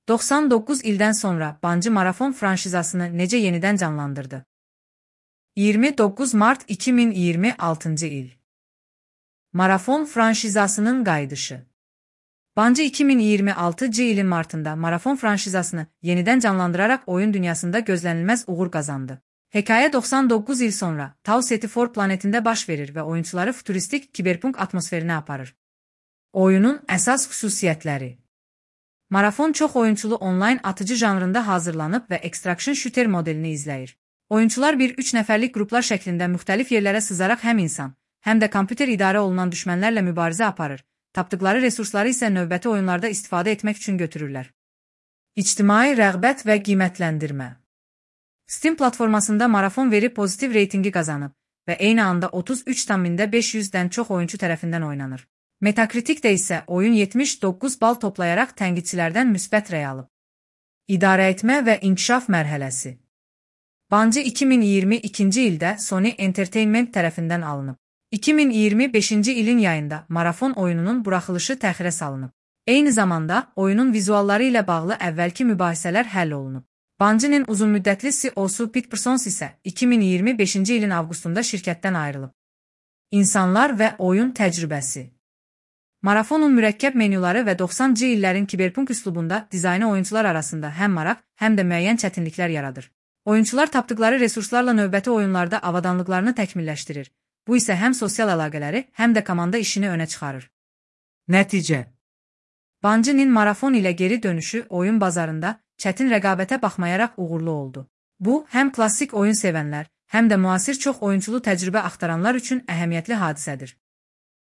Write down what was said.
99 ildən sonra Bungie marafon franşizasını necə yenidən canlandırdı? 29 Mart 2026 il. Marafon franşizasının qayıdışı. Bungie 2026 ilin martında marafon franşizasını yenidən canlandıraraq oyun dünyasında gözlənilməz uğur qazandı. Hekayə 99 il sonra Tau Ceti 4 planetində baş verir və oyunçuları futuristik kiberpunk atmosferinə aparır. Oyunun əsas xüsusiyyətləri. Marafon çox oyunçulu onlayn atıcı janrında hazırlanıb və Extraction Shooter modelini izləyir. Oyunçular 1-3 nəfərlik qruplar şəklində müxtəlif yerlərə sızaraq həm insan, həm də kompüter idarə olunan düşmənlərlə mübarizə aparır, tapdıqları resursları isə növbəti oyunlarda istifadə etmək üçün götürürlər. İctimai rəğbət və qiymətləndirmə. Steam platformasında marafon veri pozitiv reytingi qazanıb və eyni anda 33,500-dən çox oyunçu tərəfindən oynanır. Metacriticdə isə oyun 79 bal toplayaraq tənqidçilərdən müsbət rəy alıb. İdarə etmə və inkişaf mərhələsi. Bungie 2022-ci ildə Sony Entertainment tərəfindən alınıb. 2025-ci ilin yayında marafon oyununun buraxılışı təxirə salınıb. Eyni zamanda oyunun vizualları ilə bağlı əvvəlki mübahisələr həll olunub. Bungie'nin uzunmüddətli CEO-su Pete Parsons isə 2025-ci ilin avqustunda şirkətdən ayrılıb. İnsanlar və oyun təcrübəsi. Marafonun mürəkkəb menyuları və 90-cı illərin kiberpunk üslubunda dizaynı oyunçular arasında həm maraq, həm də müəyyən çətinliklər yaradır. Oyunçular tapdıqları resurslarla növbəti oyunlarda avadanlıqlarını təkmilləşdirir. Bu isə həm sosial əlaqələri, həm də komanda işini önə çıxarır. Nəticə. Bungie'nin marafon ilə geri dönüşü oyun bazarında çətin rəqabətə baxmayaraq uğurlu oldu. Bu, həm klassik oyun sevənlər, həm də müasir çox oyunçulu təcrübə axtaranlar üçün əhəmiyyətli hadisədir.